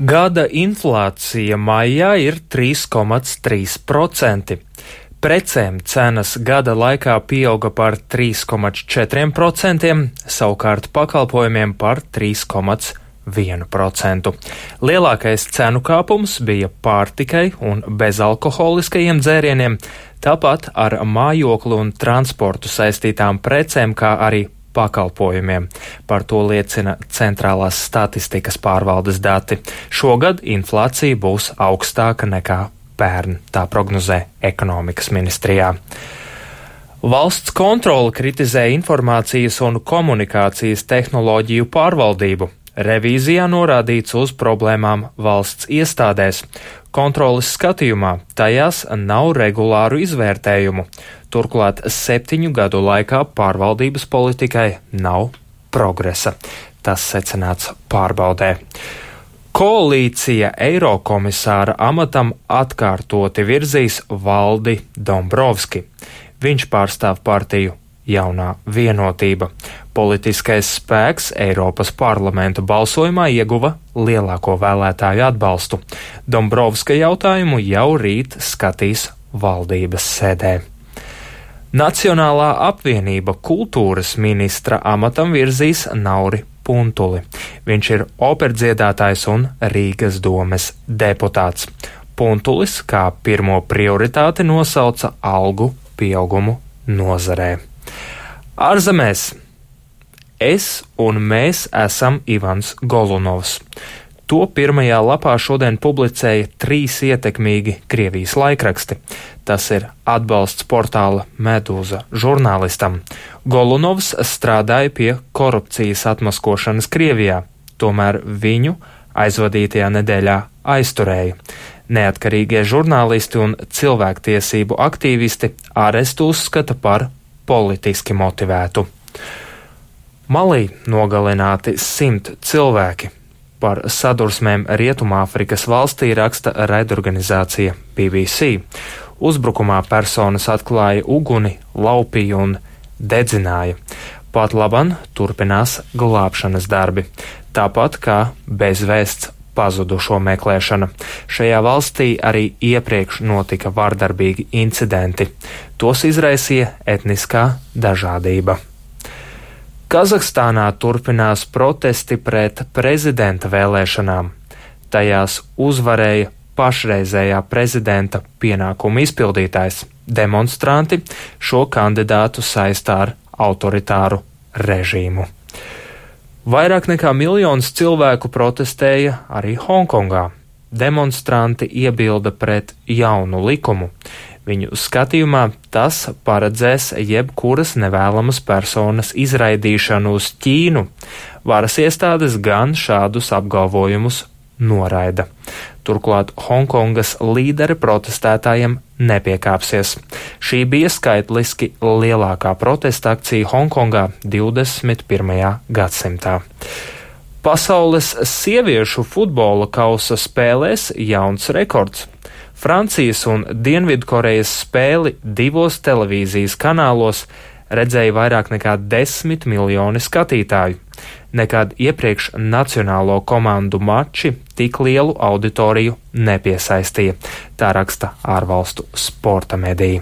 Gada inflācija maijā ir 3,3%. Precēm cenas gada laikā pieauga par 3,4%, savukārt pakalpojumiem par 3,1%. Lielākais cenu kāpums bija pārtikai un bezalkoholiskajiem dzērieniem, tāpat ar mājokli un transportu saistītām precēm, kā arī pakalpojumiem. Par to liecina Centrālās statistikas pārvaldes dati. Šogad inflācija būs augstāka nekā pērn, tā prognozē ekonomikas ministrijā. Valsts kontrole kritizē informācijas un komunikācijas tehnoloģiju pārvaldību. Revīzijā norādīts uz problēmām valsts iestādēs. Kontroles skatījumā tajās nav regulāru izvērtējumu. Turklāt 7 gadu laikā pārvaldības politikai nav progresa. Tas secināts pārbaudē. Koalīcija Eirokomisāra amatam atkārtoti virzīs Valdi Dombrovski. Viņš pārstāv partiju Jaunā vienotība. Politiskais spēks Eiropas parlamenta balsojumā ieguva lielāko vēlētāju atbalstu. Dombrovska jautājumu jau rīt skatīs valdības sēdē. Nacionālā apvienība kultūras ministra amatam virzīs Nauri Puntuli. Viņš ir operdziedātājs un Rīgas domes deputāts. Puntulis kā pirmo prioritāti nosauca algu pieaugumu nozarē. Ārzemēs. Es un mēs esam Ivans Golunovs. To pirmajā lapā šodien publicēja 3 ietekmīgi Krievijas laikraksti. Tas ir atbalsts portāla Medūza žurnālistam. Golunovs strādāja pie korupcijas atmaskošanas Krievijā, tomēr viņu aizvadītajā nedēļā aizturēja. Neatkarīgie žurnālisti un cilvēktiesību aktīvisti arestu uzskata par politiski motivētu. Malī nogalināti 100 cilvēki. Par sadursmēm Rietumāfrikas valstī raksta raidorganizācija BBC. Uzbrukumā personas atklāja uguni, laupīja un dedzināja. Pat laban turpinās glābšanas darbi, tāpat kā bezvēsts pazudušo meklēšana. Šajā valstī arī iepriekš notika vardarbīgi incidenti. Tos izraisīja etniskā dažādība. Kazahstānā turpinās protesti pret prezidenta vēlēšanām. Tajās uzvarēja pašreizējā prezidenta pienākumu izpildītājs. Demonstranti šo kandidātu saistā ar autoritāru režīmu. Vairāk nekā 1 miljons cilvēku protestēja arī Hongkongā. Demonstranti iebilda pret jaunu likumu. Viņu skatījumā tas paredzēs jebkuras nevēlamas personas izraidīšanu uz Ķīnu. Varas iestādes gan šādus apgalvojumus noraida. Turklāt Hongkongas līderi protestētājiem nepiekāpsies. Šī bija skaitliski lielākā protesta akcija Hongkongā 21. gadsimtā. Pasaules sieviešu futbola kausa spēlēs jauns rekords. Francijas un Dienvidkorejas spēli 2 televīzijas kanālos redzēja vairāk nekā 10 miljoni skatītāju. Nekad iepriekš nacionālo komandu mači tik lielu auditoriju nepiesaistīja, tā raksta ārvalstu sporta mediji.